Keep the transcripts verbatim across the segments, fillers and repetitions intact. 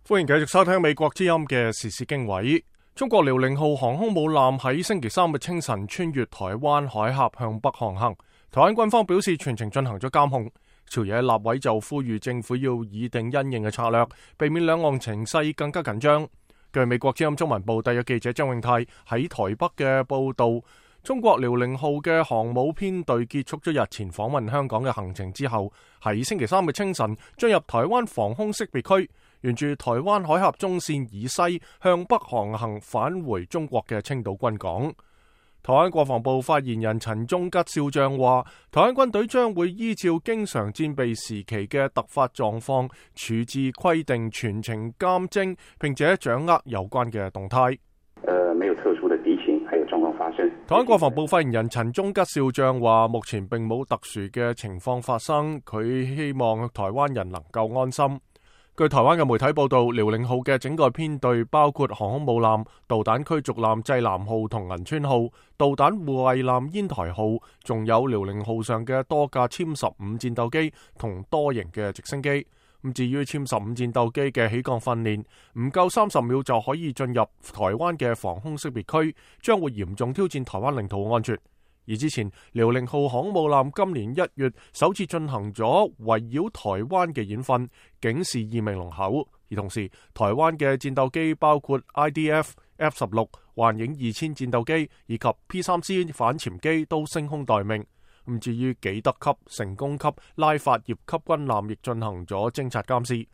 歡迎繼續收聽美國之音嘅時事經緯。中國遼寧號航空母艦喺星期三嘅清晨穿越台灣海峽向北航行，台灣軍方表示全程進行咗監控。朝野立委就呼籲政府要擬定因應嘅策略，避免兩岸情勢更加緊張。據美國之音中文部特約記者張永泰喺台北嘅報道，中國遼寧號嘅航母編隊結束咗日前訪問香港嘅行程之後，喺星期三嘅清晨進入台灣防空識別區，沿住台灣海峽中線以西向北航行，返回中國嘅青島軍港。台灣國防部發言人陳忠吉少將話，台灣軍隊將會依照經常戰備時期嘅突發狀況處置規定，全程監偵，並且掌握有關嘅動態。呃，沒有特殊的敵情，還有狀況發生。台灣國防部發言人陳忠吉少將話，目前並冇特殊嘅情況發生，佢希望台灣人能夠安心。據台灣嘅媒體報道，遼寧號嘅整個編隊包括航空母艦、導彈驅逐艦濟南號同銀川號、導彈護衛艦煙台號，仲有遼寧號上嘅多架殲十五戰鬥機同多型嘅直升機。咁至於殲十五戰鬥機嘅起降訓練，唔夠三十秒就可以進入台灣嘅防空識別區，將會嚴重挑戰台灣領土安全。而之前遼寧號航母艦今年一月首次進行咗圍繞台灣嘅演訓，警示意味濃厚。而同時，台灣嘅戰鬥機包括 I D F、F 十六、幻影二千戰鬥機以及 P 三 C 反潛機都升空待命。咁至於紀德級、成功級、拉法葉級軍艦亦進行咗偵察監視。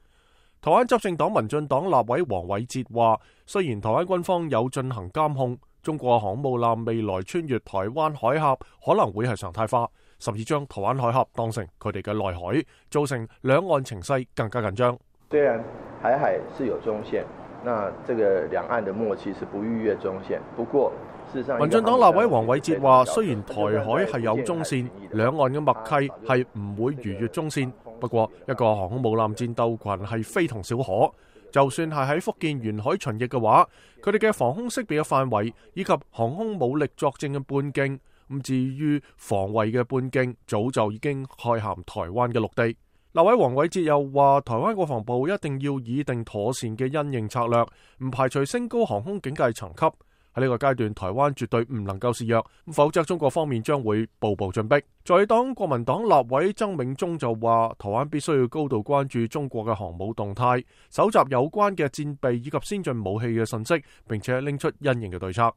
台灣執政黨民進黨立委黃偉哲話，雖然台灣軍方有進行監控，中國航母艦未來穿越台灣海峽可能會係常態化，甚至將台灣海峽當成佢哋嘅內海，造成兩岸情勢更加緊張。雖然台海是有中線，那這個兩岸的默契是不逾越中線，不過事實上，民進黨立委黃偉哲話，雖然台海係有中線，兩岸嘅默契係唔會逾越中線，不過一個航空母艦戰鬥群係非同小可。就算係喺福建沿海巡弋嘅話，佢哋嘅防空識別嘅範圍以及航空武力作戰嘅半徑，咁至於防衛嘅半徑，早就已經蓋涵台灣嘅陸地。立委黃偉哲又話，台灣國防部一定要擬定妥善嘅因應策略，唔排除升高航空警戒層級。喺呢個階段，台灣絕對唔能夠示弱，否則中國方面將會步步進逼。在黨國民黨立委曾銘宗就話，台灣必須要高度關注中國嘅航母動態，搜集有關嘅戰備以及先進武器嘅信息，並且拎出因應嘅對策。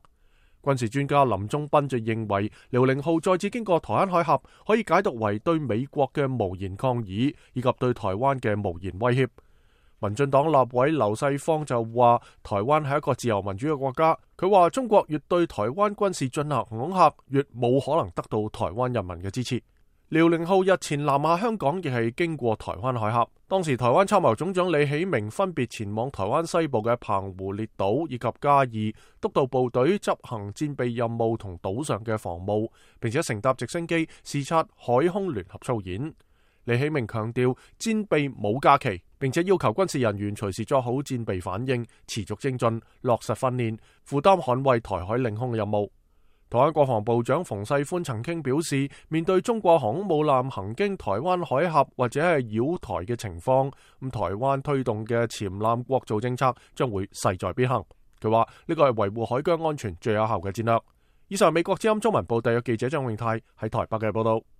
軍事專家林宗斌就認為，遼寧號再次經過台灣海峽，可以解讀為對美國嘅無言抗議，以及對台灣嘅無言威脅。民進黨立委劉世芳就話，台灣係一個自由民主嘅國家。佢話中國越對台灣軍事進行恐嚇，越冇可能得到台灣人民嘅支持。遼寧號日前南下香港，亦係經過台灣海峽。當時台灣參謀總長李喜明分別前往台灣西部嘅澎湖列島以及嘉義，督導部隊執行戰備任務同島上嘅防務，並且乘搭直升機視察海空聯合操演。李喜明強調戰備冇假期，並且要求軍事人員隨時作好戰備反應，持續精進，落實訓練，負擔捍衛台海領空嘅任務。台灣國防部長馮世寬曾經表示，面對中國航空母艦行經台灣海峽或者係繞台嘅情況，咁台灣推動嘅潛艦國造政策將會勢在必行。佢話呢個係維護海疆安全最有效嘅戰略。以上美國之音中文部特約記者張永泰喺台北嘅報道。